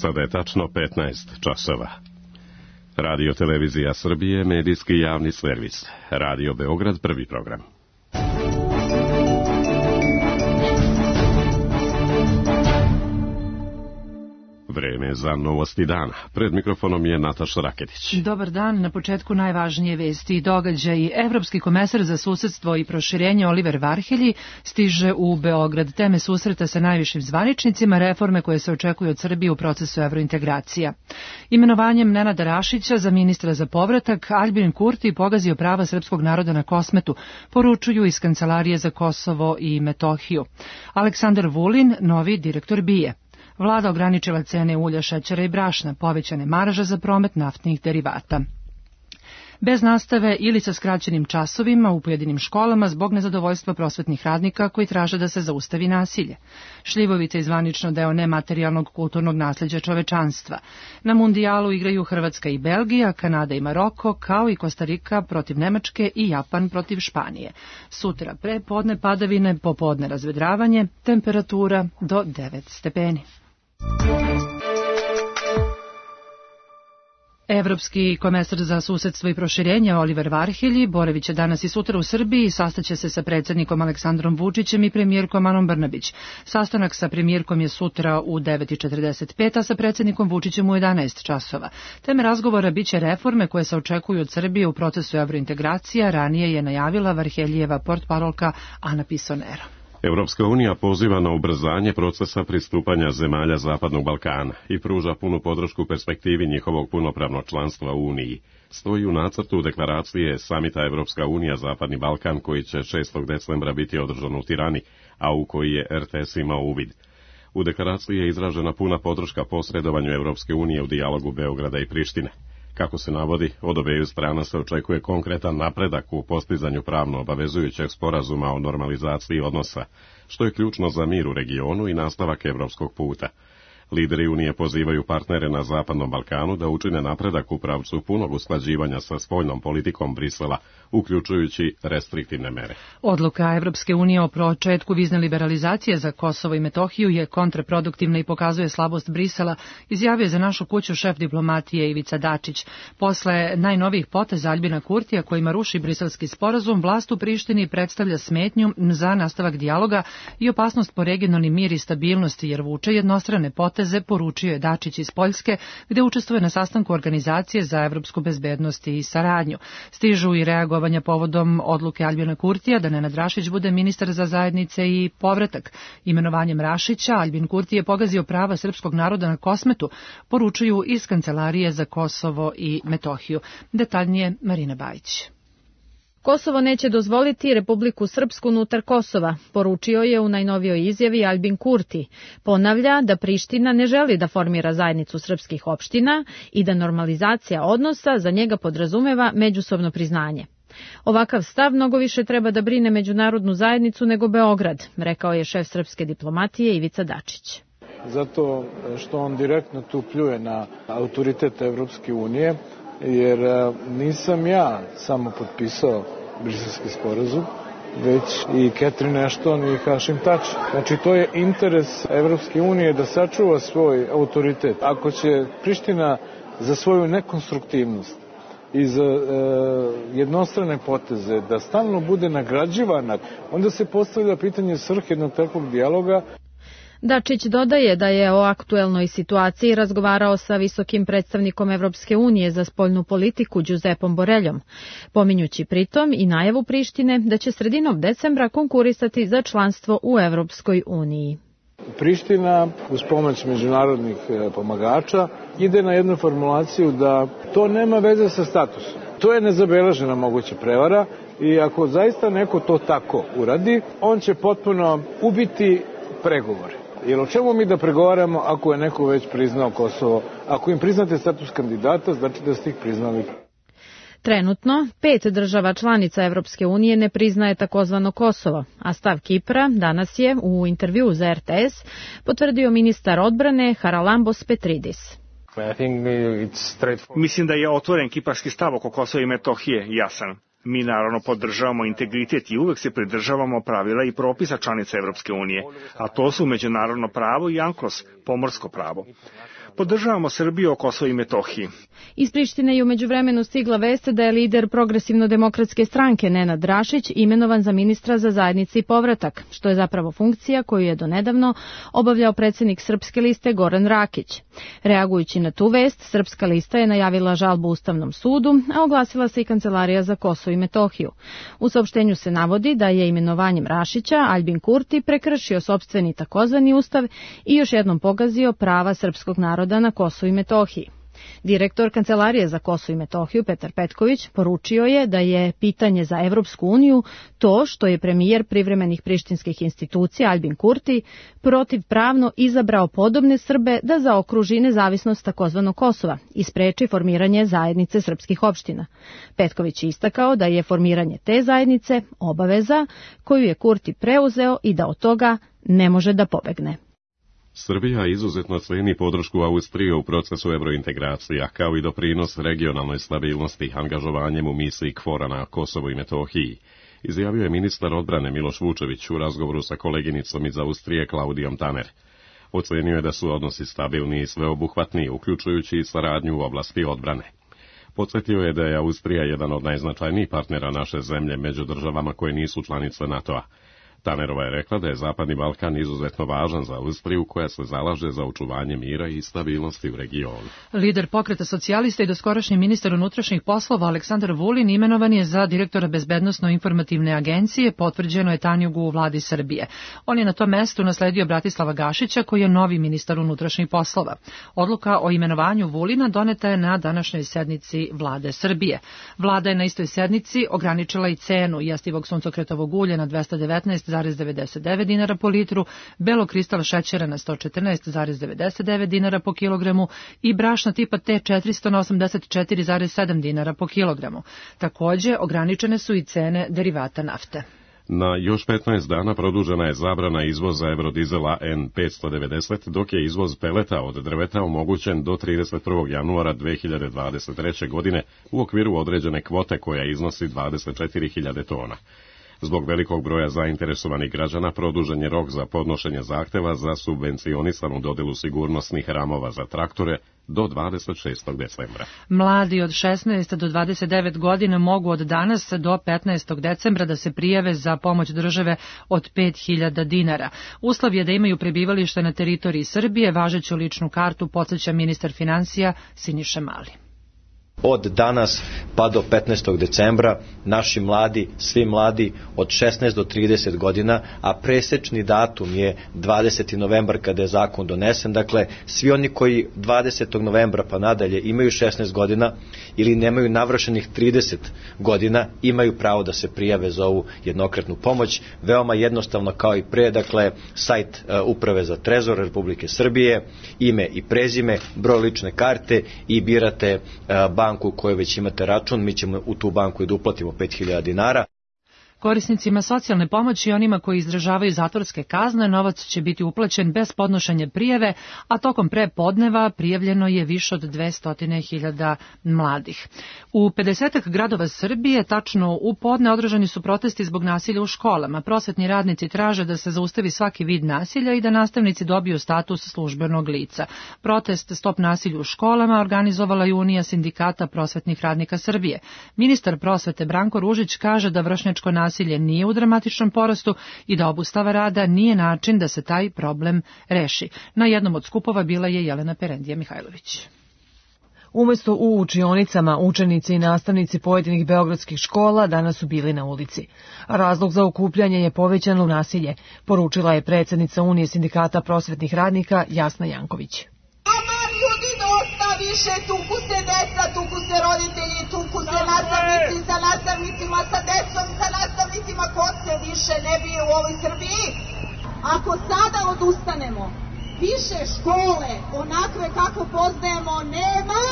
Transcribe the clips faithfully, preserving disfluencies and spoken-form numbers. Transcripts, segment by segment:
Sada je tačno petnaest časova. Radio Televizija Srbije, medijski javni servis. Radio Beograd, prvi program. Vreme za novosti dana. Pred mikrofonom je Nataša Raketić. Dobar dan. Na početku najvažnije vesti i događaji. Evropski komesar za susedstvo i proširenje Oliver Varhelji stiže u Beograd. Teme susreta sa najvišim zvaničnicima, reforme koje se očekuju od Srbije u procesu evrointegracija. Imenovanjem Nenada Rašića za ministra za povratak, Aljbin Kurti pogazio prava srpskog naroda na Kosmetu, poručuju iz Kancelarije za Kosovo i Metohiju. Aleksandar Vulin, novi direktor B I A. Vlada ograničila cene ulja, šećera i brašna, povećane marže za promet naftnih derivata. Bez nastave ili sa skraćenim časovima u pojedinim školama zbog nezadovoljstva prosvetnih radnika koji traže da se zaustavi nasilje. Šljivovica je zvanično deo nematerijalnog kulturnog nasleđa čovečanstva. Na mundijalu igraju Hrvatska i Belgija, Kanada i Maroko, kao i Kostarika protiv Nemačke i Japan protiv Španije. Sutra pre podne padavine, popodne razvedravanje, temperatura do devet stepeni. Evropski komesar za susedstvo i proširenje Oliver Varhelji boraviće danas i sutra u Srbiji i sastaće se sa predsjednikom Aleksandrom Vučićem i premijerkom Anom Brnabić. Sastanak sa premijerkom je sutra u devet četrdeset pet, a sa predsjednikom Vučićem u jedanaest časova. Teme razgovora biće reforme koje se očekuju od Srbije u procesu evrointegracija, ranije je najavila Varheljijeva portparolka Ana Pisonero. Evropska unija poziva na ubrzanje procesa pristupanja zemalja Zapadnog Balkana i pruža punu podršku perspektivi njihovog punopravnog članstva u Uniji. Stoji u nacrtu deklaracije samita Evropska unija Zapadni Balkan koji će šestog decembra biti održan u Tirani, a u koji je R T S imao uvid. U deklaraciji je izražena puna podrška posredovanju Evropske unije u dijalogu Beograda i Prištine. Kako se navodi, od obeju strana se očekuje konkretan napredak u postizanju pravno obavezujućeg sporazuma o normalizaciji odnosa, što je ključno za mir u regionu i nastavak evropskog puta. Lideri Unije pozivaju partnere na Zapadnom Balkanu da učine napredak u pravcu punog usklađivanja sa spoljnom politikom Brisela, uključujući restriktivne mere. Odluka Evropske unije o početku vizne liberalizacije za Kosovo i Metohiju je kontraproduktivna i pokazuje slabost Brisela, izjavio je za našu kuću šef diplomatije Ivica Dačić. Posle najnovijih poteza Aljbina Kurtija kojima ruši briselski sporazum, vlast u Prištini predstavlja smetnju za nastavak dijaloga i opasnost po regionalni mir i stabilnosti jer vuče jednostrane poteze, poručio je Dačić iz Poljske, gde učestvuje na sastanku Organizacije za evropsku bezbednost i saradnju. Stižu i reagovanja povodom odluke Aljbina Kurtija da Nenad Rašić bude ministar za zajednice i povratak. Imenovanjem Rašića Aljbin Kurti je pogazio prava srpskog naroda na Kosmetu, poručuju iz Kancelarije za Kosovo i Metohiju. Detaljnije Marina Bajić. Kosovo neće dozvoliti Republiku Srpsku unutar Kosova, poručio je u najnovijoj izjavi Aljbin Kurti. Ponavlja da Priština ne želi da formira zajednicu srpskih opština i da normalizacija odnosa za njega podrazumeva međusobno priznanje. Ovakav stav mnogo više treba da brine međunarodnu zajednicu nego Beograd, rekao je šef srpske diplomatije Ivica Dačić. Zato što on direktno tu pljuje na autoritet Evropske unije, jer nisam ja samo potpisao briselski sporazum, već i Catherine Ashton i Hašim Tači. Znači, to je interes Evropske unije da sačuva svoj autoritet. Ako će Priština za svoju nekonstruktivnost i za e, jednostrane poteze da stalno bude nagrađivana, onda se postavlja pitanje svrhe jednog takvog dijaloga. Dačić dodaje da je o aktuelnoj situaciji razgovarao sa visokim predstavnikom Evropske unije za spoljnu politiku Giuseppom Boreljom, pominjući pritom i najavu Prištine da će sredinom decembra konkurisati za članstvo u Evropskoj uniji. Priština uz pomoć međunarodnih pomagača ide na jednu formulaciju da to nema veze sa statusom. To je nezabeležena moguća prevara i ako zaista neko to tako uradi, on će potpuno ubiti pregovore. Jer o čemu mi da pregovaramo ako je neko već priznao Kosovo? Ako im priznate status kandidata, znači da ste ih priznali. Trenutno, pet država članica Evropske unije ne priznaje takozvano Kosovo, a stav Kipra danas je u intervjuu za R T S potvrdio ministar odbrane Haralambos Petridis. Mislim da je otvoren kiparski stav oko Kosova i Metohije jasan. Mi naravno podržavamo integritet i uvek se pridržavamo pravila i propisa članica Evropske unije, a to su međunarodno pravo i ANKLOS, pomorsko pravo. Podržavamo Srbiju o Kosovu i Metohiji. Iz Prištine je u međuvremenu stigla vest da je lider Progresivno-demokratske stranke Nenad Rašić imenovan za ministra za zajednice i povratak, što je zapravo funkcija koju je donedavno obavljao predsjednik Srpske liste Goran Rakić. Reagujući na tu vest, Srpska lista je najavila žalbu Ustavnom sudu, a oglasila se i Kancelarija za Kosovo i Metohiju. U saopštenju se navodi da je imenovanjem Rašića Aljbin Kurti prekršio sopstveni takozvani ustav i još jednom pogazio prava srpskog naroda na Kosovu i Metohiji. Direktor Kancelarije za Kosovo i Metohiju Petar Petković poručio je da je pitanje za Evropsku uniju to što je premijer privremenih prištinskih institucija Aljbin Kurti protivpravno izabrao podobne Srbe da zaokruži nezavisnost takozvanog Kosova i spreči formiranje zajednice srpskih opština. Petković je istakao da je formiranje te zajednice obaveza koju je Kurti preuzeo i da od toga ne može da pobegne. Srbija izuzetno ceni podršku Austrije u procesu evrointegracija, kao i doprinos regionalnoj stabilnosti angažovanjem u misiji KFOR-a na Kosovu i Metohiji, izjavio je ministar odbrane Miloš Vučević u razgovoru sa koleginicom iz Austrije Klaudijom Taner. Ocenio je da su odnosi stabilni i sveobuhvatni, uključujući i saradnju u oblasti odbrane. Podsjetio je da je Austrija jedan od najznačajnijih partnera naše zemlje među državama koje nisu članice NATO-a. Tanerova je rekla da je Zapadni Balkan izuzetno važan za Austriju koja se zalaže za očuvanje mira i stabilnosti u regionu. Lider Pokreta socijalista i doskorašnji ministar unutrašnjih poslova Aleksandar Vulin imenovan je za direktora Bezbednosno-informativne agencije, potvrđeno je Tanjugu u vladi Srbije. On je na tom mestu nasledio Bratislava Gašića koji je novi ministar unutrašnjih poslova. Odluka o imenovanju Vulina doneta je na današnjoj sednici vlade Srbije. Vlada je na istoj sednici ograničila i cenu jestivog suncokretovog ulja na dvesta devetnaest zarez devedeset devet dinara po litru, belokristal šećera na sto četrnaest zarez devedeset devet dinara po kilogramu i brašna tipa T četiristo na osamdeset četiri zarez sedam dinara po kilogramu. Takođe, ograničene su i cene derivata nafte. Na još petnaest dana produžena je zabrana izvoza eurodizela N petsto devedeset, dok je izvoz peleta od drveta omogućen do trideset prvog januara dve hiljade dvadeset treće. godine u okviru određene kvote koja iznosi dvadeset četiri hiljade tona. Zbog velikog broja zainteresovanih građana produžen je rok za podnošenje zahteva za subvencionisanu dodelu sigurnosnih ramova za traktore do dvadeset šestog decembra. Mladi od šesnaest do dvadeset devet godina mogu od danas do petnaestog decembra da se prijave za pomoć države od pet hiljada dinara. Uslov je da imaju prebivalište na teritoriji Srbije, važeću ličnu kartu, podsjeća ministar finansija Siniša Mali. Od danas pa do petnaestog decembra naši mladi, svi mladi od šesnaest do trideset godina, a presečni datum je dvadeseti novembar kada je zakon donesen, dakle svi oni koji dvadesetog novembra pa nadalje imaju šesnaest godina ili nemaju navršenih trideset godina imaju pravo da se prijave za ovu jednokratnu pomoć. Veoma jednostavno kao i pre, dakle sajt uh, Uprave za trezor Republike Srbije, ime i prezime, broj lične karte i birate uh, banku u kojoj već imate račun, mi ćemo u tu banku i da uplatimo pet hiljada dinara. Korisnicima socijalne pomoći i onima koji izdržavaju zatvorske kazne novac će biti uplaćen bez podnošenja prijave, a tokom prepodneva prijavljeno je više od dvesta hiljada mladih. U pedesetak gradova Srbije, tačno u podne, održani su protesti zbog nasilja u školama. Prosvetni radnici traže da se zaustavi svaki vid nasilja i da nastavnici dobiju status službenog lica. Protest Stop nasilju u školama organizovala je Unija sindikata prosvetnih radnika Srbije. Ministar prosvete Branko Ružić kaže da vršnjačko nasilje Nasilje nije u dramatičnom porastu i da obustava rada nije način da se taj problem reši. Na jednom od skupova bila je Jelena Perendija Mihajlović. Umesto u učionicama, učenici i nastavnici pojedinih beogradskih škola danas su bili na ulici. Razlog za okupljanje je povećano nasilje, poručila je predsjednica Unije sindikata prosvetnih radnika Jasna Janković. Više tuku se deca, tuku se roditelji, tuku se nastavnici sa nastavnicima, sa decom, sa nastavnicima, ko se više ne bije u ovoj Srbiji. Ako sada odustanemo, više škole, onakve kako poznajemo, nema.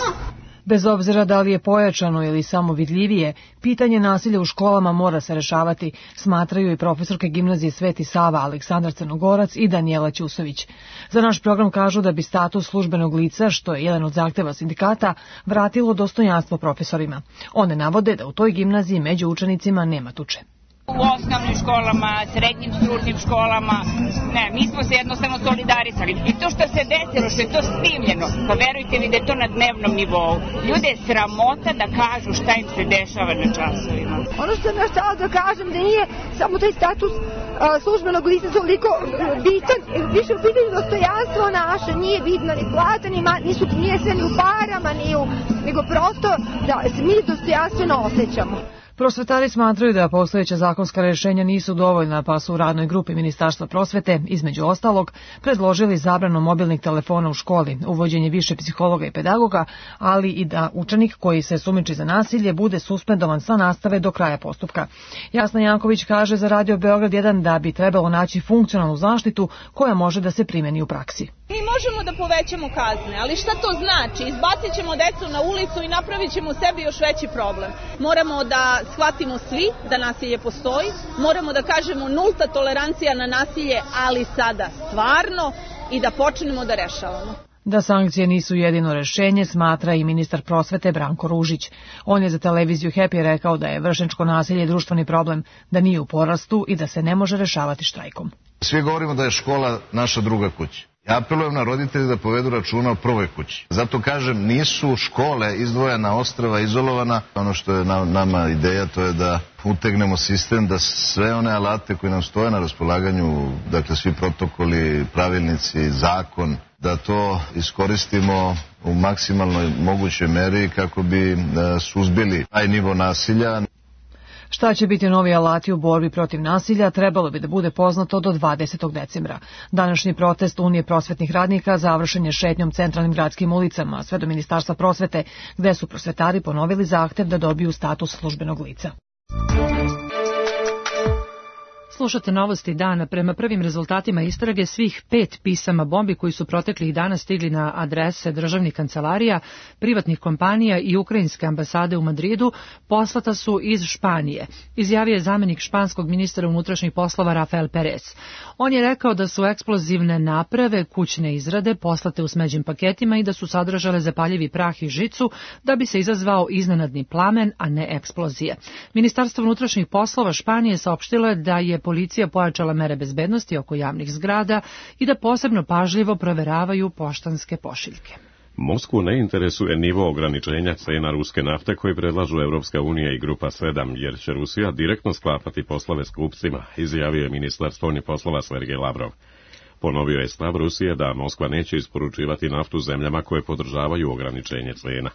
Bez obzira da li je pojačano ili samo vidljivije, pitanje nasilja u školama mora se rešavati, smatraju i profesorke gimnazije Sveti Sava Aleksandar Crnogorac i Danijela Ćusović. Za naš program kažu da bi status službenog lica, što je jedan od zahteva sindikata, vratilo dostojanstvo profesorima. One navode da u toj gimnaziji među učenicima nema tuče. U osnovnim školama, srednjim stručnim školama, ne, mi smo se jednostavno solidarisali. I to što se desilo, što je to snimljeno, pa verujte mi da je to na dnevnom nivou. Ljude je sramota da kažu šta im se dešava na časovima. Ono što sam ja htjela da kažem da nije samo taj status a, službenog lica toliko bitan, više u pitanju dostojanstvo naše, nije bitno ni plata, ni ma, nisu, nije sve ni u parama, ni u, nego prosto da se mi dostojanstveno osjećamo. Prosvetari smatraju da postojeća zakonska rješenja nisu dovoljna, pa su u radnoj grupi Ministarstva prosvete, između ostalog, predložili zabranu mobilnih telefona u školi, uvođenje više psihologa i pedagoga, ali i da učenik koji se sumnjiči za nasilje bude suspendovan sa nastave do kraja postupka. Jasna Janković kaže za Radio Beograd jedan da bi trebalo naći funkcionalnu zaštitu koja može da se primeni u praksi. Mi možemo da povećamo kazne, ali šta to znači? Izbacit ćemo decu na ulicu i napravit ćemo sebi još veći problem. Moramo da shvatimo svi da nasilje postoji, moramo da kažemo nulta tolerancija na nasilje, ali sada stvarno, i da počnemo da rešavamo. Da sankcije nisu jedino rešenje, smatra i ministar prosvete Branko Ružić. On je za televiziju Happy rekao da je vršnjačko nasilje društveni problem, da nije u porastu i da se ne može rešavati štrajkom. Svi govorimo da je škola naša druga kuća. Ja apelujem na roditelje da povedu računa o prvoj kući. Zato kažem, nisu škole izdvojena ostrva, izolovana. Ono što je na, nama ideja, to je da utegnemo sistem, da sve one alate koji nam stoje na raspolaganju, dakle svi protokoli, pravilnici, zakon, da to iskoristimo u maksimalnoj mogućoj meri kako bi suzbili taj nivo nasilja. Šta će biti novi alati u borbi protiv nasilja, trebalo bi da bude poznato do dvadesetog decembra. Današnji protest Unije prosvetnih radnika završen je šetnjom centralnim gradskim ulicama, sve do Ministarstva prosvete, gde su prosvetari ponovili zahtev da dobiju status službenog lica. Slušate novosti dana. Prema prvim rezultatima istrage, svih pet pisama bombi koji su proteklih dana stigli na adrese državnih kancelarija, privatnih kompanija i ukrajinske ambasade u Madridu poslata su iz Španije, izjavio je zamenik španskog ministra unutrašnjih poslova Rafael Perez. On je rekao da su eksplozivne naprave kućne izrade poslate u smeđim paketima i da su sadržale zapaljivi prah i žicu da bi se izazvao iznenadni plamen, a ne eksplozije. Ministarstvo unutrašnjih poslova Španije saopštilo je da je policija pojačala mere bezbednosti oko javnih zgrada i da posebno pažljivo proveravaju poštanske pošiljke. Moskvu ne interesuje nivo ograničenja cena ruske nafte koji predlažu Evropska unija i Grupa sedam, jer će Rusija direktno sklapati poslove s kupcima, izjavio je ministar spoljnih poslova Sergej Lavrov. Ponovio je stav Rusije da Moskva neće isporučivati naftu zemljama koje podržavaju ograničenje cena.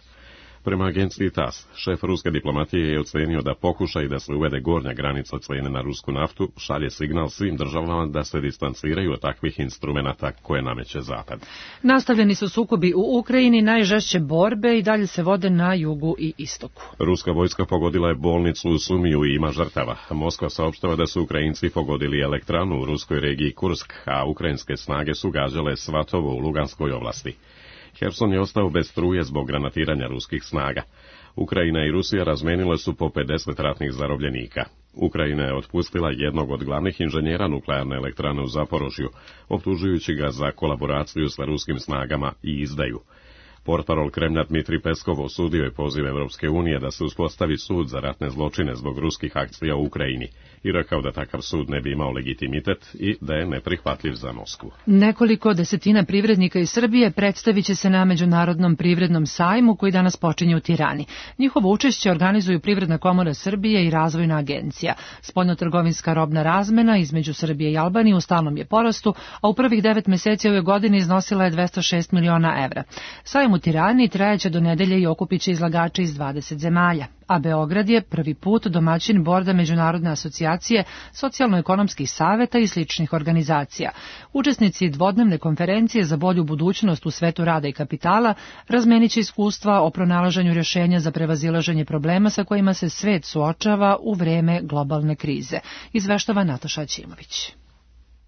Prema agenciji TASS, šef ruske diplomatije je ocenio da pokušaj da se uvede gornja granica cene na rusku naftu šalje signal svim državama da se distanciraju od takvih instrumenata koje nameće Zapad. Nastavljeni su sukobi u Ukrajini, najžešće borbe i dalje se vode na jugu i istoku. Ruska vojska pogodila je bolnicu u Sumiju i ima žrtava. Moskva saopštava da su Ukrajinci pogodili elektranu u ruskoj regiji Kursk, a ukrajinske snage su gađale Svatovo u Luganskoj oblasti. Herson je ostao bez struje zbog granatiranja ruskih snaga. Ukrajina i Rusija razmenile su po pedeset ratnih zarobljenika. Ukrajina je otpustila jednog od glavnih inženjera nuklearne elektrane u Zaporožju, optužujući ga za kolaboraciju sa ruskim snagama i izdaju. Portparol Kremlja Dmitrij Peskov osudio je poziv Evropske unije da se uspostavi sud za ratne zločine zbog ruskih akcija u Ukrajini i rekao da takav sud ne bi imao legitimitet i da je neprihvatljiv za Moskvu. Nekoliko desetina privrednika iz Srbije predstavit će se na Međunarodnom privrednom sajmu koji danas počinje u Tirani. Njihovo učešće organizuju Privredna komora Srbije i Razvojna agencija. Spoljnotrgovinska robna razmena između Srbije i Albanije u stalnom je porastu, a u prvih devet meseci ove godine iznosila je dvesta šest miliona evra. Sajam u Tirani trajaće do nedelje i okupiće izlagače iz dvadeset zemalja, a Beograd je prvi put domaćin borda Međunarodne asocijacije socijalno-ekonomskih saveta i sličnih organizacija. Učesnici dvodnevne konferencije za bolju budućnost u svetu rada i kapitala razmeniće iskustva o pronalaženju rješenja za prevazilaženje problema sa kojima se svet suočava u vreme globalne krize, izveštava Nataša Ćimović.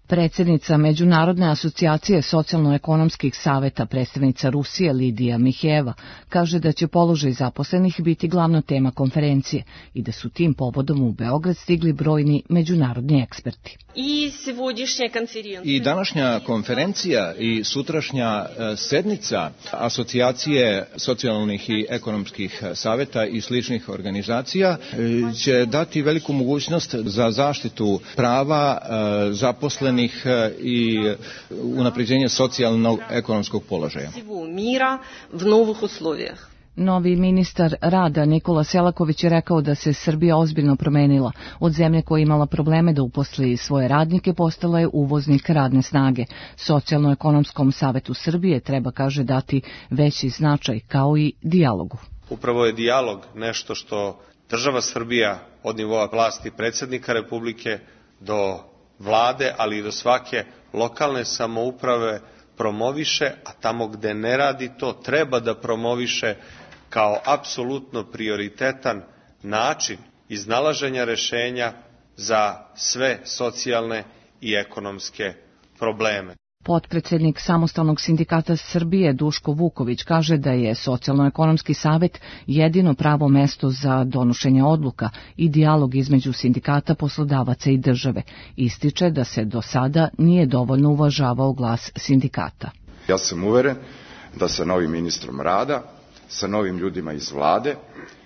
Predsjednica Međunarodne asocijacije socijalno-ekonomskih saveta, predstavnica Rusije Lidija Miheva, kaže da će položaj zaposlenih biti glavna tema konferencije i da su tim povodom u Beograd stigli brojni međunarodni eksperti. I današnja konferencija i sutrašnja sednica asocijacije socijalnih i ekonomskih saveta i sličnih organizacija će dati veliku mogućnost za zaštitu prava zaposlenih i unapređenje socijalnog ekonomskog položaja. Novi ministar rada Nikola Selaković je rekao da se Srbija ozbiljno promenila. Od zemlje koja je imala probleme da uposli svoje radnike postala je uvoznik radne snage. Socijalno-ekonomskom savetu Srbije treba, kaže, dati veći značaj kao i dijalogu. Upravo je dijalog nešto što država Srbija od nivoa vlasti predsjednika Republike do vlade, ali i do svake lokalne samouprave promoviše, a tamo gde ne radi to treba da promoviše kao apsolutno prioritetan način iznalaženja rešenja za sve socijalne i ekonomske probleme. Potpredsednik Samostalnog sindikata Srbije Duško Vuković kaže da je Socijalno-ekonomski savet jedino pravo mesto za donošenje odluka i dijalog između sindikata, poslodavaca i države. Ističe da se do sada nije dovoljno uvažavao glas sindikata. Ja sam uveren da sa novim ministrom rada, sa novim ljudima iz vlade,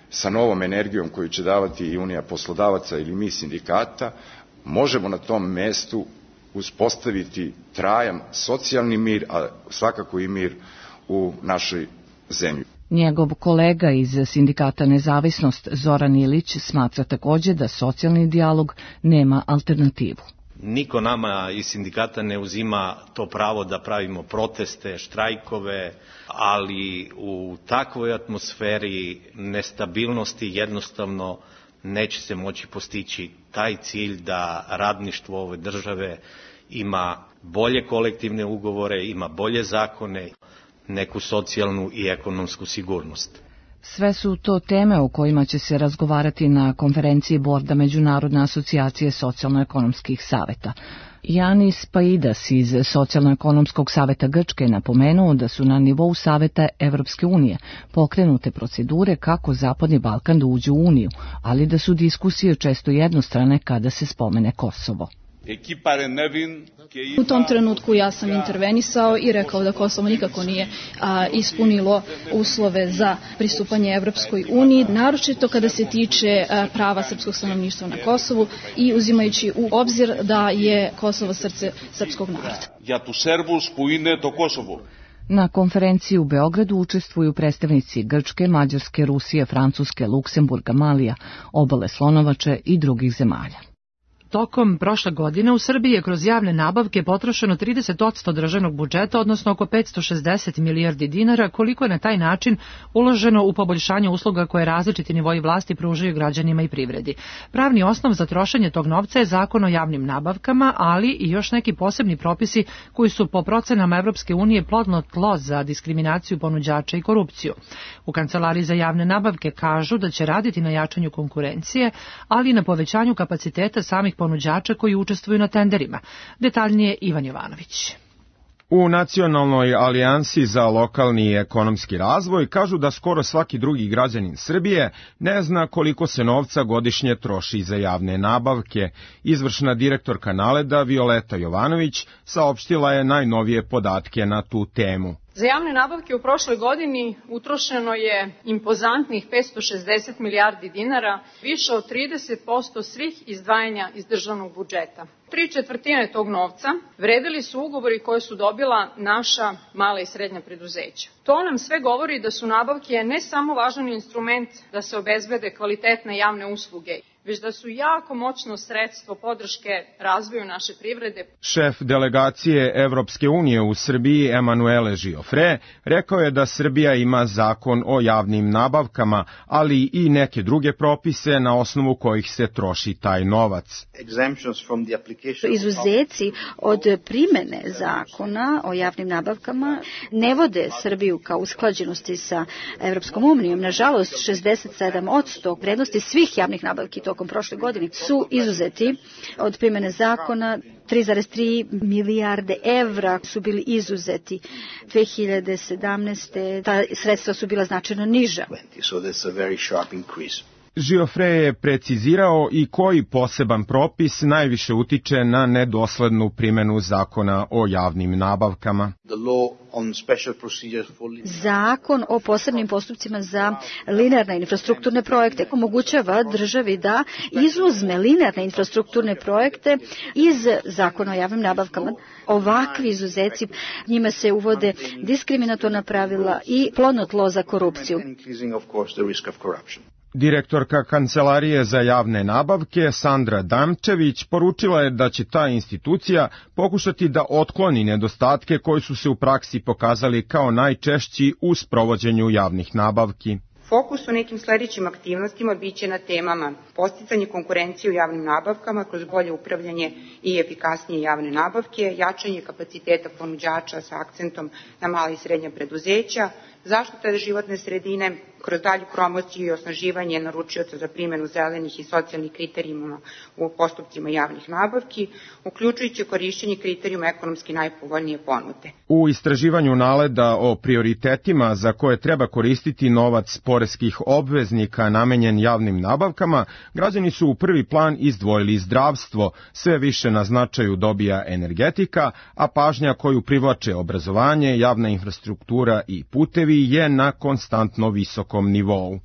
sa novom energijom koju će davati i Unija poslodavaca ili mi sindikata, možemo na tom mestu uspostaviti trajan socijalni mir, a svakako i mir u našoj zemlji. Njegov kolega iz sindikata Nezavisnost Zoran Ilić smatra također da socijalni dijalog nema alternativu. Niko nama iz sindikata ne uzima to pravo da pravimo proteste, štrajkove, ali u takvoj atmosferi nestabilnosti jednostavno neće se moći postići taj cilj da radništvo ove države ima bolje kolektivne ugovore, ima bolje zakone, neku socijalnu i ekonomsku sigurnost. Sve su to teme o kojima će se razgovarati na konferenciji borda Međunarodne asocijacije socijalno-ekonomskih saveta. Janis Paidas iz Socijalno-ekonomskog saveta Grčke napomenuo da su na nivou saveta Evropske unije pokrenute procedure kako Zapadni Balkan da uđe u Uniju, ali da su diskusije često jednostrane kada se spomene Kosovo. U tom trenutku ja sam intervenisao i rekao da Kosovo nikako nije a, ispunilo uslove za pristupanje Evropskoj uniji, naročito kada se tiče a, prava srpskog stanovništva na Kosovu i uzimajući u obzir da je Kosovo srce srpskog naroda. Na konferenciji u Beogradu učestvuju predstavnici Grčke, Mađarske, Rusije, Francuske, Luksemburga, Malija, Obale Slonovače i drugih zemalja. Tokom prošle godine u Srbiji je kroz javne nabavke potrošeno trideset posto državnog budžeta, odnosno oko petsto šezdeset milijardi dinara, koliko je na taj način uloženo u poboljšanje usluga koje različiti nivoji vlasti pružaju građanima i privredi. Pravni osnov za trošenje tog novca je Zakon o javnim nabavkama, ali i još neki posebni propisi koji su po procenama Evropske unije plodno tlo za diskriminaciju ponuđača i korupciju. U Kancelariji za javne nabavke kažu da će raditi na jačanju konkurencije, ali i na povećanju kapaciteta samih ponuđača koji učestvuju na tenderima. Detaljnije Ivan Jovanović. U Nacionalnoj alijansi za lokalni i ekonomski razvoj kažu da skoro svaki drugi građanin Srbije ne zna koliko se novca godišnje troši za javne nabavke. Izvršna direktorka Naleda Violeta Jovanović saopštila je najnovije podatke na tu temu. Za javne nabavke u prošloj godini utrošeno je impozantnih petsto šezdeset milijardi dinara, više od trideset posto svih izdvajanja iz državnog budžeta. Tri četvrtine tog novca vredili su ugovori koje su dobila naša mala i srednja preduzeća. To nam sve govori da su nabavke ne samo važan instrument da se obezbede kvalitetne javne usluge, već da su jako moćno sredstvo podrške razvoju naše privrede. Šef delegacije Evropske unije u Srbiji Emanuele Žiofre rekao je da Srbija ima zakon o javnim nabavkama, ali i neke druge propise na osnovu kojih se troši taj novac. Izuzeci od primene zakona o javnim nabavkama ne vode Srbiju kao usklađenosti sa Evropskom unijom. Nažalost, šezdeset sedam posto vrednosti svih javnih nabavki tokom prošle godine su izuzeti od primene zakona. tri zarez tri milijarde evra su bili izuzeti. dve hiljade sedamnaeste. ta sredstva su bila značajno niža. Giofre je precizirao i koji poseban propis najviše utiče na nedoslednu primjenu zakona o javnim nabavkama. Zakon o posebnim postupcima za linearne infrastrukturne projekte omogućava državi da izuzme linearne infrastrukturne projekte iz zakona o javnim nabavkama. Ovakvi izuzeci, njima se uvode diskriminatorna pravila i plodno tlo za korupciju. Direktorka Kancelarije za javne nabavke Sandra Damčević poručila je da će ta institucija pokušati da otkloni nedostatke koji su se u praksi pokazali kao najčešći u sprovođenju javnih nabavki. Fokus u nekim sledećim aktivnostima biće na temama podsticanje konkurencije u javnim nabavkama kroz bolje upravljanje i efikasnije javne nabavke, jačanje kapaciteta ponuđača sa akcentom na mala i srednja preduzeća, zaštita životne sredine kroz dalju promociju i osnaživanje naručioca za primjenu zelenih i socijalnih kriterijuma u postupcima javnih nabavki, uključujući korišćenje kriterijuma ekonomski najpovoljnije ponude. U istraživanju NALED-a o prioritetima za koje treba koristiti novac poreskih obveznika namenjen javnim nabavkama, građani su u prvi plan izdvojili zdravstvo, sve više na značaju dobija energetika, a pažnja koju privlače obrazovanje, javna infrastruktura i putevi je na konstantno visokom nivou.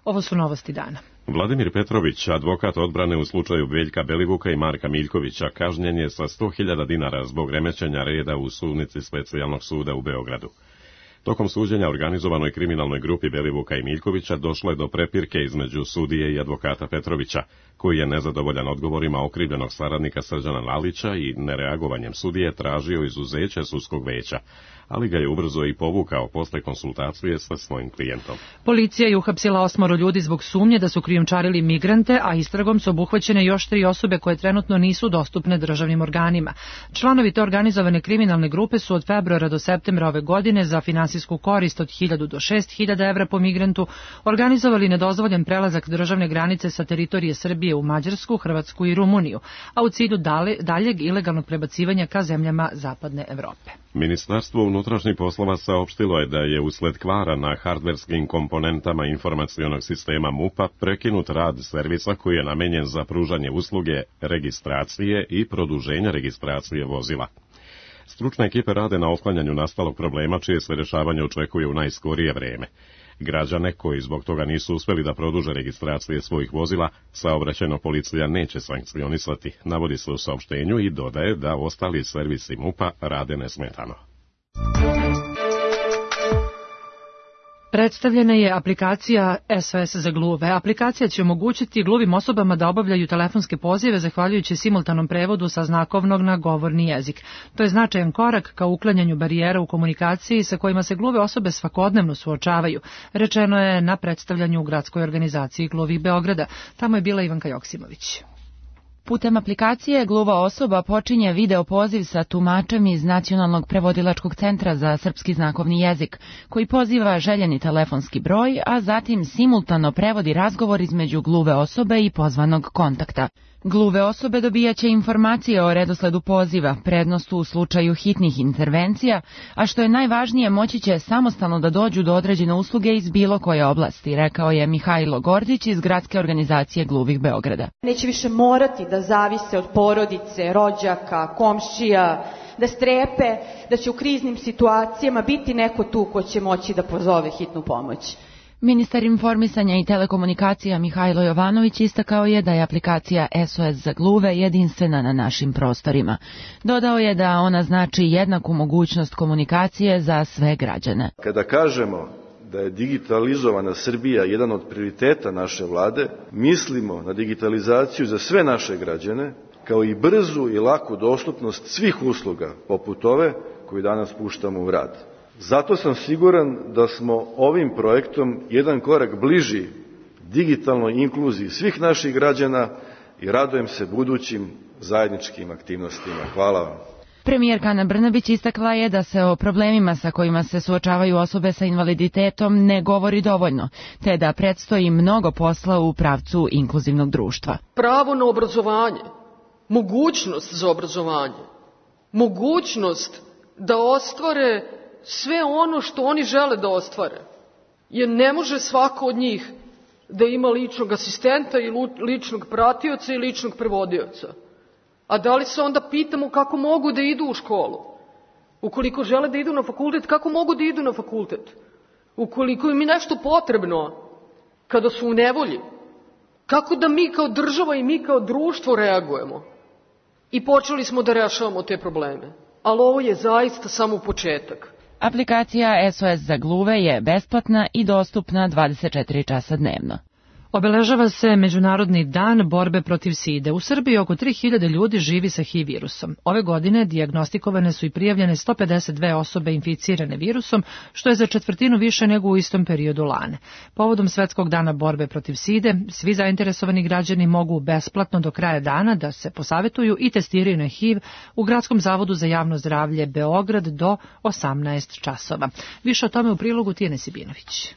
Ovo su novosti dana. Vladimir Petrović, advokat odbrane u slučaju Veljka Belivuka i Marka Miljkovića, kažnjen je sa sto hiljada dinara zbog remećenja reda u sudnici Specijalnog suda u Beogradu. Tokom suđenja organizovanoj kriminalnoj grupi Belivuka i Miljkovića došlo je do prepirke između sudije i advokata Petrovića, koji je nezadovoljan odgovorima okrivljenog saradnika Srđana Lalića i nereagovanjem sudije tražio izuzeće sudskog veća, ali ga je ubrzo i povukao posle konsultacije sa svojim klijentom. Policija je uhapsila osmoro ljudi zbog sumnje da su krijumčarili migrante, a istragom su obuhvaćene još tri osobe koje trenutno nisu dostupne državnim organima. Članovi te organizovane kriminalne grupe su od februara do septembra ove godine za finansijsku korist od hiljadu do šest hiljada evra po migrantu organizovali nedozvoljen prelazak državne granice sa teritorije Srbije u Mađarsku, Hrvatsku i Rumuniju, a u cilju daljeg ilegalnog prebacivanja ka zemljama zapadne Evrope. Ministarstvo unutrašnjih poslova saopštilo je da je usled kvara na hardverskim komponentama informacionog sistema MUP-a prekinut rad servisa koji je namenjen za pružanje usluge registracije i produženja registracije vozila. Stručne ekipe rade na otklanjanju nastalog problema čije se rješavanje očekuje u najskorije vreme. Građane koji zbog toga nisu uspeli da produže registracije svojih vozila, saobraćajna policija neće sankcionisati, navodi se u saopštenju i dodaje da ostali servisi MUP-a rade nesmetano. Predstavljena je aplikacija S O S za gluve. Aplikacija će omogućiti gluvim osobama da obavljaju telefonske pozive zahvaljujući simultanom prevodu sa znakovnog na govorni jezik. To je značajan korak ka uklanjanju barijera u komunikaciji sa kojima se gluve osobe svakodnevno suočavaju, rečeno je na predstavljanju u gradskoj organizaciji gluvih Beograda. Tamo je bila Ivanka Joksimović. Putem aplikacije gluva osoba počinje video poziv sa tumačem iz Nacionalnog prevodilačkog centra za srpski znakovni jezik, koji poziva željeni telefonski broj, a zatim simultano prevodi razgovor između gluve osobe i pozvanog kontakta. Gluve osobe dobijaće informacije o redosledu poziva, prednost u slučaju hitnih intervencija, a što je najvažnije, moći će samostalno da dođu do određene usluge iz bilo koje oblasti, rekao je Mihajlo Gordić iz Gradske organizacije gluvih Beograda. Neće više morati da zavise od porodice, rođaka, komšija, da strepe da će u kriznim situacijama biti neko tu ko će moći da pozove hitnu pomoć. Ministar informisanja i telekomunikacija Mihajlo Jovanović istakao je da je aplikacija S O S za gluve jedinstvena na našim prostorima. Dodao je da ona znači jednaku mogućnost komunikacije za sve građane. Kada kažemo da je digitalizovana Srbija jedan od prioriteta naše vlade, mislimo na digitalizaciju za sve naše građane, kao i brzu i laku dostupnost svih usluga, poput ove koju danas puštamo u rad. Zato sam siguran da smo ovim projektom jedan korak bliži digitalnoj inkluziji svih naših građana i radujem se budućim zajedničkim aktivnostima. Hvala vam. Premijerka Ana Brnabić istakla je da se o problemima sa kojima se suočavaju osobe sa invaliditetom ne govori dovoljno, te da predstoji mnogo posla u pravcu inkluzivnog društva. Pravo na obrazovanje mogućnost za obrazovanje, mogućnost da ostvare sve ono što oni žele da ostvare. Jer ne može svako od njih da ima ličnog asistenta i ličnog pratioca i ličnog prevodioca. A da li se onda pitamo kako mogu da idu u školu? Ukoliko žele da idu na fakultet, kako mogu da idu na fakultet? Ukoliko im je nešto potrebno kada su u nevolji, kako da mi kao država i mi kao društvo reagujemo? I počeli smo da rešavamo te probleme. Ali ovo je zaista samo početak. Aplikacija S O S za gluve je besplatna i dostupna dvadeset četiri časa dnevno. Obeležava se Međunarodni dan borbe protiv side. U Srbiji oko tri hiljade ljudi živi sa H I V virusom. Ove godine dijagnostikovane su i prijavljene sto pedeset dve osobe inficirane virusom, što je za četvrtinu više nego u istom periodu lane. Povodom Svetskog dana borbe protiv side, svi zainteresovani građani mogu besplatno do kraja dana da se posavetuju i testiraju na H I V u Gradskom zavodu za javno zdravlje Beograd do osamnaest časova. Više o tome u prilogu Tijene Sibinović.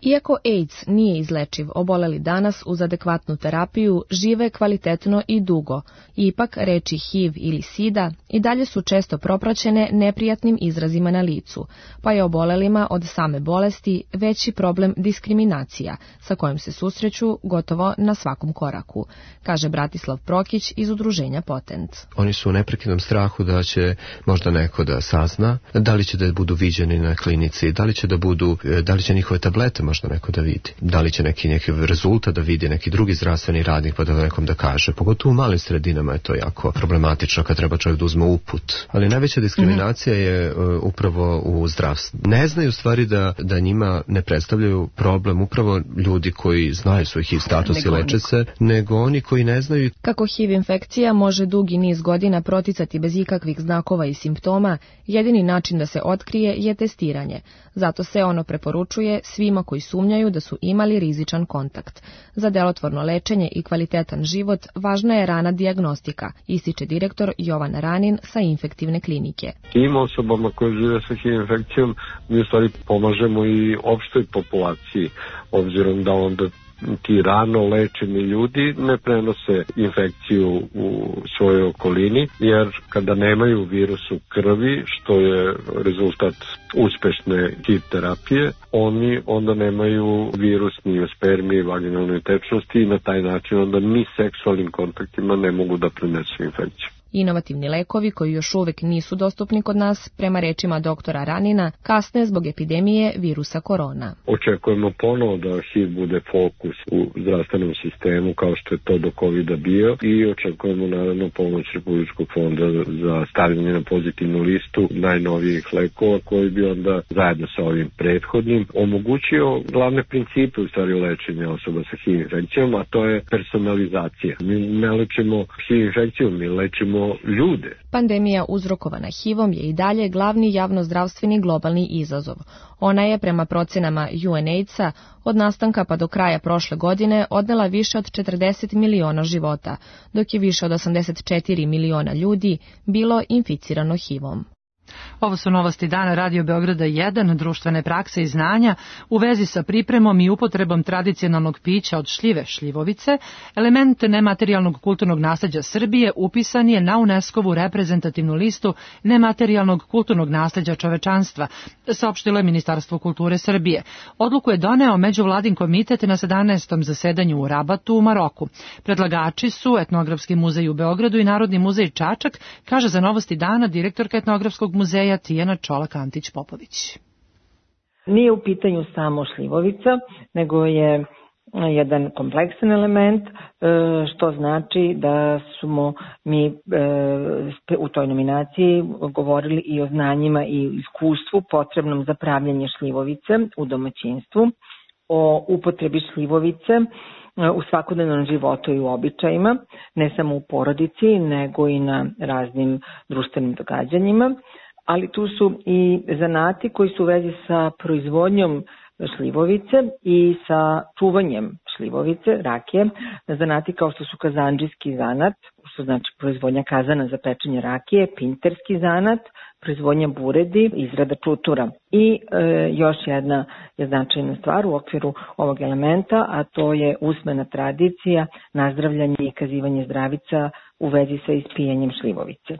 Iako AIDS nije izlečiv, oboleli danas uz adekvatnu terapiju žive kvalitetno i dugo. Ipak, reči H I V ili sida i dalje su često propraćene neprijatnim izrazima na licu, pa je obolelima od same bolesti veći problem diskriminacija, sa kojim se susreću gotovo na svakom koraku, kaže Bratislav Prokić iz udruženja Potent. Oni su u neprekidnom strahu da će možda neko da sazna, da li će da budu viđeni na klinici, da li će da budu, da li će njihove tablete možda neko da vidi. Da li će neki, neki rezultat da vidi, neki drugi zdravstveni radnik pa da nekom da kaže. Pogotovo u malim sredinama je to jako problematično kad treba čovjek da uzme uput. Ali najveća diskriminacija mm-hmm. je uh, upravo u zdravstvu. Ne znaju stvari da, da njima ne predstavljaju problem upravo ljudi koji znaju svoj H I V status i leče se, nego oni koji ne znaju. Kako H I V infekcija može dugi niz godina proticati bez ikakvih znakova i simptoma, jedini način da se otkrije je testiranje. Zato se ono preporučuje svima koji sumnjaju da su imali rizičan kontakt. Za delotvorno lečenje i kvalitetan život važna je rana dijagnostika, ističe direktor Jovan Ranin sa infektivne klinike. Tim osobama koje žive sa H I V infekcijom mi u stvari pomažemo i opštoj populaciji, obzirom da onda ti rano lečeni ljudi ne prenose infekciju u svojoj okolini, jer kada nemaju virus u krvi, što je rezultat uspešne H I V terapije, oni onda nemaju virus ni u spermiji, vaginalnoj tečnosti i na taj način onda ni seksualnim kontaktima ne mogu da prenesu infekciju. Inovativni lekovi koji još uvek nisu dostupni kod nas, prema rečima doktora Ranina, kasne zbog epidemije virusa korona. Očekujemo ponovo da H I V bude fokus u zdravstvenom sistemu kao što je to do kovida bio i očekujemo naravno pomoć Republičkog fonda za stavljanje na pozitivnu listu najnovijih lekova koji bi onda zajedno sa ovim prethodnim omogućio glavne principe u stvari lečenja osoba sa H I V infekcijom, a to je personalizacija. Mi ne lečimo H I V infekciju, mi lečimo ljude. Pandemija uzrokovana H I V-om je i dalje glavni javnozdravstveni globalni izazov. Ona je, prema procenama U N A I D S-a, od nastanka pa do kraja prošle godine odnela više od četrdeset miliona života, dok je više od osamdeset četiri miliona ljudi bilo inficirano H I V-om. Ovo su novosti dana Radio Beograda jedan, društvene prakse i znanja u vezi sa pripremom i upotrebom tradicionalnog pića od šljive šljivovice. Element nematerijalnog kulturnog nasleđa Srbije upisan je na UNESCO-vu reprezentativnu listu nematerijalnog kulturnog nasleđa čovečanstva, saopštilo je Ministarstvo kulture Srbije. Odluku je doneo Međuvladin komitet na sedamnaestom zasedanju u Rabatu u Maroku. Predlagači su Etnografski muzej u Beogradu i Narodni muzej Čačak, kaže za novosti dana direktorka Etnografskog muzeja Tijana Čolak-Antić-Popović. Nije u pitanju samo šljivovica, nego je jedan kompleksan element, što znači da smo mi u toj nominaciji govorili i o znanjima i iskustvu potrebnom za pravljanje šljivovice u domaćinstvu, o upotrebi šljivovice u svakodnevnom životu i u običajima, ne samo u porodici, nego i na raznim društvenim događanjima, ali tu su i zanati koji su u vezi sa proizvodnjom šljivovice i sa čuvanjem šljivovice, rakije, zanati kao što su kazandžijski zanat, što znači proizvodnja kazana za pečenje rakije, pinterski zanat, proizvodnja buredi, izrada čutura. I e, još jedna je značajna stvar u okviru ovog elementa, a to je usmena tradicija, nazdravljanje i kazivanje zdravica u vezi sa ispijanjem šljivovice.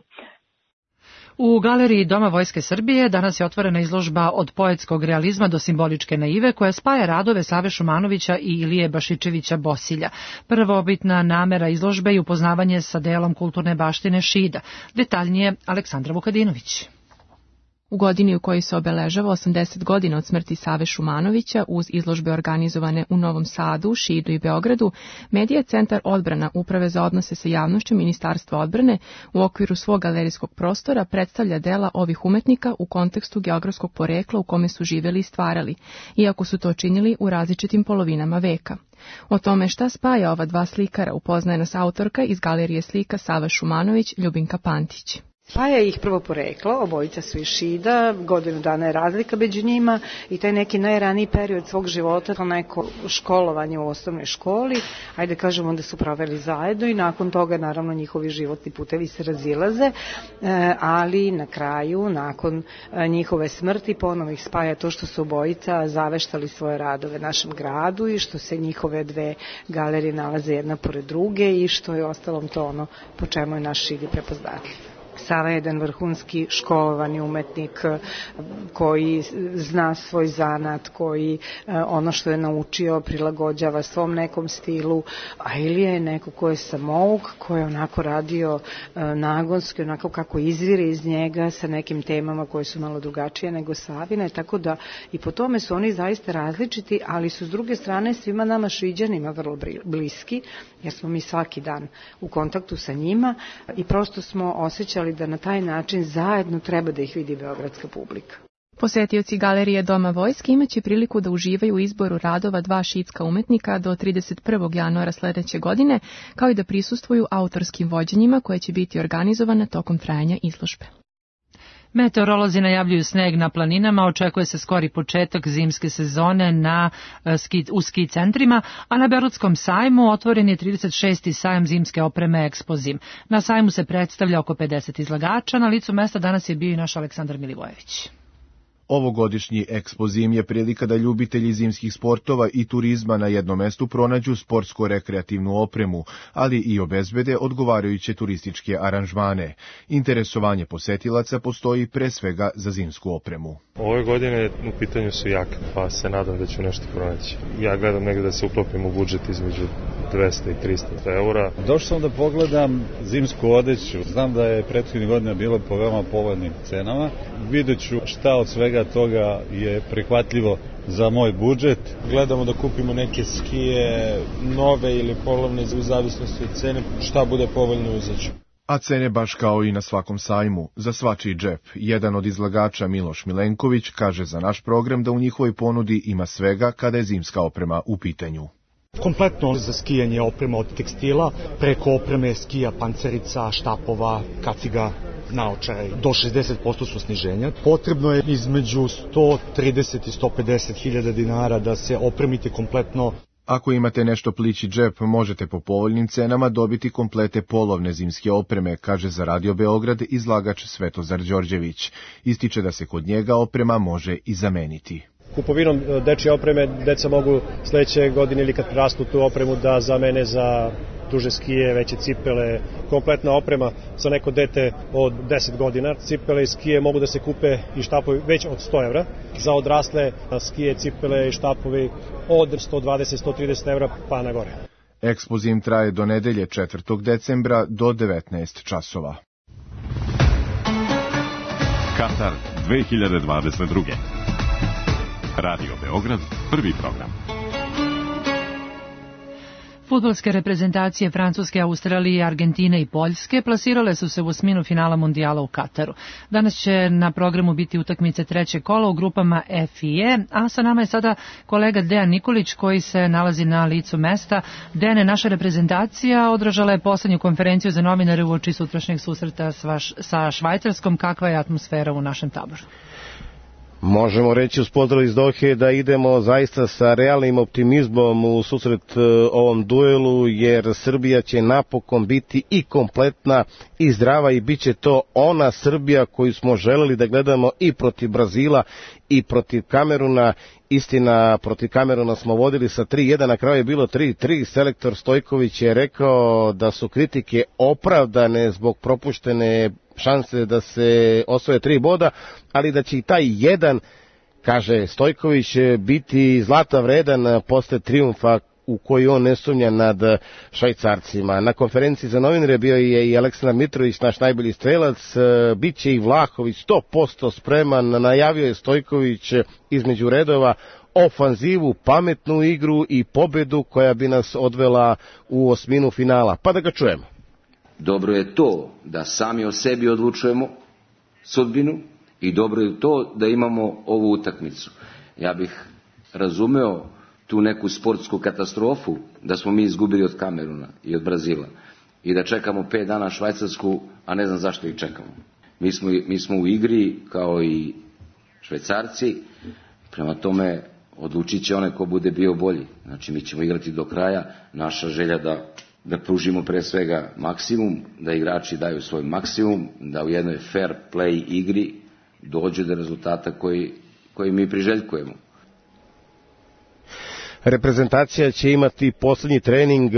U galeriji Doma Vojske Srbije danas je otvorena izložba od poetskog realizma do simboličke naive koja spaja radove Save Šumanovića i Ilije Bašičevića Bosilja. Prvobitna namera izložbe je upoznavanje sa delom kulturne baštine Šida. Detaljnije Aleksandra Vukadinović. U godini u kojoj se obeležava osamdeset godina od smrti Save Šumanovića, uz izložbe organizovane u Novom Sadu, Šidu i Beogradu, Medija centar odbrana Uprave za odnose sa javnošću Ministarstva odbrane u okviru svog galerijskog prostora predstavlja dela ovih umetnika u kontekstu geografskog porekla u kome su živeli i stvarali, iako su to činili u različitim polovinama veka. O tome šta spaja ova dva slikara upoznaje nas autorka iz Galerije slika Sava Šumanović, Ljubinka Pantić. Spaja ih prvo poreklo, obojica su iz Šida, godinu dana je razlika među njima i taj neki najraniji period svog života, to neko školovanje u osnovnoj školi, ajde kažemo onda su proveli zajedno i nakon toga naravno njihovi životni putevi se razilaze, ali na kraju, nakon njihove smrti, ponovo ih spaja to što su obojica zaveštali svoje radove našem gradu i što se njihove dve galerije nalaze jedna pored druge i što je ostalom to ono po čemu je naš Šid i prepoznatljiv. Sava je jedan vrhunski školovani umetnik koji zna svoj zanat, koji ono što je naučio prilagođava svom nekom stilu, a Ilija je neko ko je samouk, ko je onako radio nagonski, onako kako izvire iz njega sa nekim temama koje su malo drugačije nego Savine, tako da i po tome su oni zaista različiti, ali su s druge strane svima nama Šiđanima vrlo bliski, jer smo mi svaki dan u kontaktu sa njima i prosto smo osjećali da na taj način zajedno treba da ih vidi beogradska publika. Posetioci Galerije Doma Vojske imaće priliku da uživaju u izboru radova dva šidska umetnika do trideset prvog januara sledeće godine, kao i da prisustvuju autorskim vođenjima koje će biti organizovane tokom trajanja izložbe. Meteorolozi najavljuju sneg na planinama, očekuje se skori početak zimske sezone na ski, u ski centrima, a na Berutskom sajmu otvoren je trideset šesti sajam zimske opreme Ekspozim. Na sajmu se predstavlja oko pedeset izlagača, na licu mesta danas je bio i naš Aleksandar Milivojević. Ovogodišnji Ekspozim je prilika da ljubitelji zimskih sportova i turizma na jednom mestu pronađu sportsko-rekreativnu opremu, ali i obezbede odgovarajuće turističke aranžmane. Interesovanje posetilaca postoji pre svega za zimsku opremu. Ove godine u pitanju su jake, pa se nadam da ću nešto pronaći. Ja gledam negde da se uklopim u budžet između dvesta i trista eura. Došao sam da pogledam zimsku odeću. Znam da je prethodnih godina bilo po veoma povoljnim cenama. Vidjet ću šta od svega toga je prihvatljivo za moj budžet. Gledamo da kupimo neke skije nove ili polovne u zavisnosti od cene, šta bude povoljno uzeću. A cene baš kao i na svakom sajmu, za svačiji džep. Jedan od izlagača Miloš Milenković kaže za naš program da u njihovoj ponudi ima svega kada je zimska oprema u pitanju. Kompletno za skijanje oprema od tekstila, preko opreme skija, pancerica, štapova, kaciga, naočare. Do šezdeset posto su sniženja. Potrebno je između sto trideset i sto pedeset hiljada dinara da se opremite kompletno. Ako imate nešto plići džep, možete po povoljnim cenama dobiti komplete polovne zimske opreme, kaže za Radio Beograd izlagač Svetozar Đorđević. Ističe da se kod njega oprema može i zameniti. Kupovinom dečje opreme deca mogu sledeće godine ili kad rastu tu opremu da zamene za duže skije, veće cipele, kompletna oprema za neko dete od deset godina. Cipele i skije mogu da se kupe i štapovi već od sto evra. Za odrasle skije, cipele i štapovi od sto dvadeset do sto trideset evra pa na gore. Ekspozim traje do nedelje četvrtog decembra do devetnaest časova. Katar dve hiljade dvadeset druge. Radio Beograd, prvi program. Fudbalske reprezentacije Francuske, Australije, Argentine i Poljske plasirale su se u osminu finala mundijala u Kataru. Danas će na programu biti utakmice trećeg kola u grupama F i E, a sa nama je sada kolega Dejan Nikolić koji se nalazi na licu mesta. Dejane, naša reprezentacija održala je poslednju konferenciju za novinare uoči sutrašnjeg susreta sa Švajcarskom. Kakva je atmosfera u našem taboru? Možemo reći uz pozdrav iz Dohe da idemo zaista sa realnim optimizmom u susret ovom duelu, jer Srbija će napokon biti i kompletna i zdrava i bit će to ona Srbija koju smo želeli da gledamo i protiv Brazila i protiv Kameruna. Istina, protiv Kameruna smo vodili sa tri jedan, na kraju je bilo tri tri. Selektor Stojković je rekao da su kritike opravdane zbog propuštene šanse da se osvoje tri boda, ali da će i taj jedan, kaže Stojković, biti zlata vredan posle trijumfa u koji on ne sumnja nad Švajcarcima. Na konferenciji za novinare bio je i Aleksandar Mitrović, naš najbolji strelac, bit će i Vlahović sto posto spreman, najavio je Stojković između redova ofanzivu, pametnu igru i pobedu koja bi nas odvela u osminu finala. Pa da ga čujemo. Dobro je to da sami o sebi odlučujemo sudbinu i dobro je to da imamo ovu utakmicu. Ja bih razumeo tu neku sportsku katastrofu da smo mi izgubili od Kameruna i od Brazila i da čekamo pet dana Švajcarsku, a ne znam zašto ih čekamo. Mi smo, mi smo u igri kao i Švajcarci, prema tome odlučit će onaj ko bude bio bolji. Znači mi ćemo igrati do kraja, naša želja da da pružimo pre svega maksimum, da igrači daju svoj maksimum, da u jednoj fair play igri dođu do rezultata koji, koji mi priželjkujemo. Reprezentacija će imati posljednji trening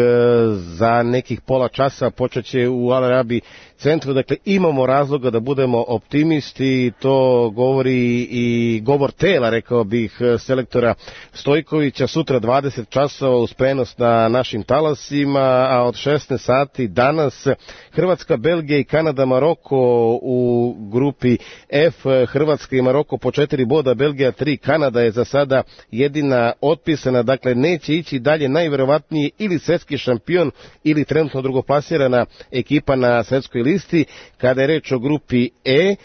za nekih pola časa, počet će u Al Arabi centru, dakle imamo razloga da budemo optimisti, to govori i govor tela, rekao bih, selektora Stojkovića. Sutra dvadeset časova uz prenos na našim talasima, a od šesnaest sati danas Hrvatska, Belgija i Kanada, Maroko u grupi F. Hrvatska i Maroko po četiri boda, Belgija tri, Kanada je za sada jedina otpisana, dakle neće ići dalje najverovatnije ili svjetski šampion ili trenutno drugoplasirana ekipa na svjetskoj listi. Kada je reč o grupi E,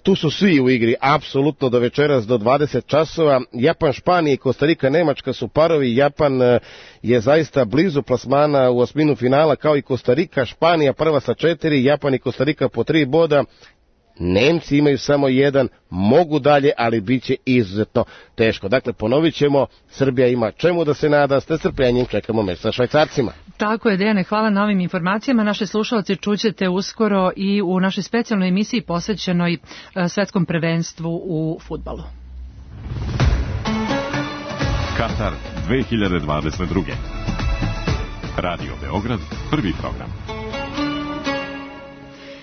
tu su svi u igri, apsolutno do večeras do dvadeset časova. Japan, Španija i Kostarika, Nemačka su parovi. Japan je zaista blizu plasmana u osminu finala kao i Kostarika. Španija prva sa četiri, Japan i Kostarika po tri boda. Nemci imaju samo jedan, mogu dalje, ali bit će izuzetno teško. Dakle, ponovit ćemo, Srbija ima čemu da se nada, s nestrpljenjem čekamo meč sa Švajcarcima. Tako je, Dejane, hvala na ovim informacijama. Naše slušalci čućete uskoro i u našoj specijalnoj emisiji posvećenoj svetskom prvenstvu u fudbalu. Katar dve hiljade dvadeset druge. Radio Beograd, prvi program.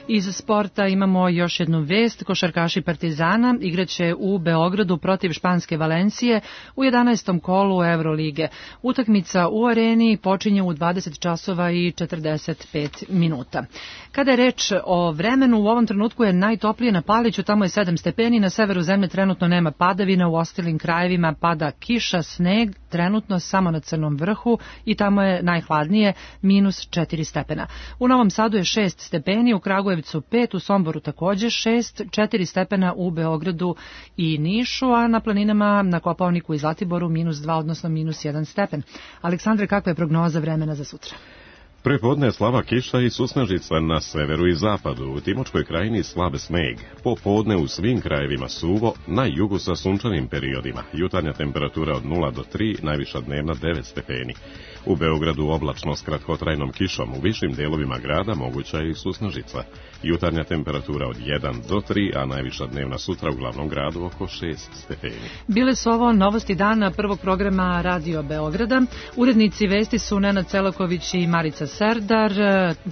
Iz sporta imamo još jednu vest. Košarkaši Partizana igraće u Beogradu protiv španske Valencije u jedanaestom kolu Evrolige. Utakmica u areni počinje u dvadeset časova i četrdeset pet minuta. Kada je reč o vremenu, u ovom trenutku je najtoplije na Paliću, tamo je sedam stepeni, na severu zemlje trenutno nema padavina, u ostalim krajevima pada kiša, sneg, trenutno samo na Crnom vrhu i tamo je najhladnije, minus četiri stepena. U Novom Sadu je šest stepeni, u Kragujevcu pet, u Somboru takođe šest, četiri stepena u Beogradu i Nišu, a na planinama na Kopaoniku i Zlatiboru minus dva, odnosno minus jedan stepen. Aleksandre, kakva je prognoza vremena za sutra? Prepodne slaba kiša i susnežica na severu i zapadu, u Timočkoj krajini slabe sneg. Popodne u svim krajevima suvo, na jugu sa sunčanim periodima. Jutarnja temperatura od nula do tri, najviša dnevna devet stepeni. U Beogradu oblačno s kratkotrajnom kišom, u višim delovima grada moguća je i susnežica. Jutarnja temperatura od jedan do tri, a najviša dnevna sutra u glavnom gradu oko šest stepeni. Bile su ovo novosti dana prvog programa Radio Beograda. Urednici vesti su Nenad Celaković i Marica Serdar,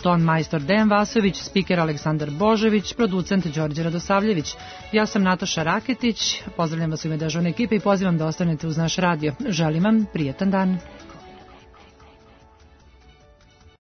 ton majstor Dejan Vasović, spiker Aleksandar Božović, producent Đorđe Radosavljević. Ja sam Nataša Raketić, pozdravljam vas u ime dežurne ekipe i pozivam da ostanete uz naš radio. Želim vam prijetan dan.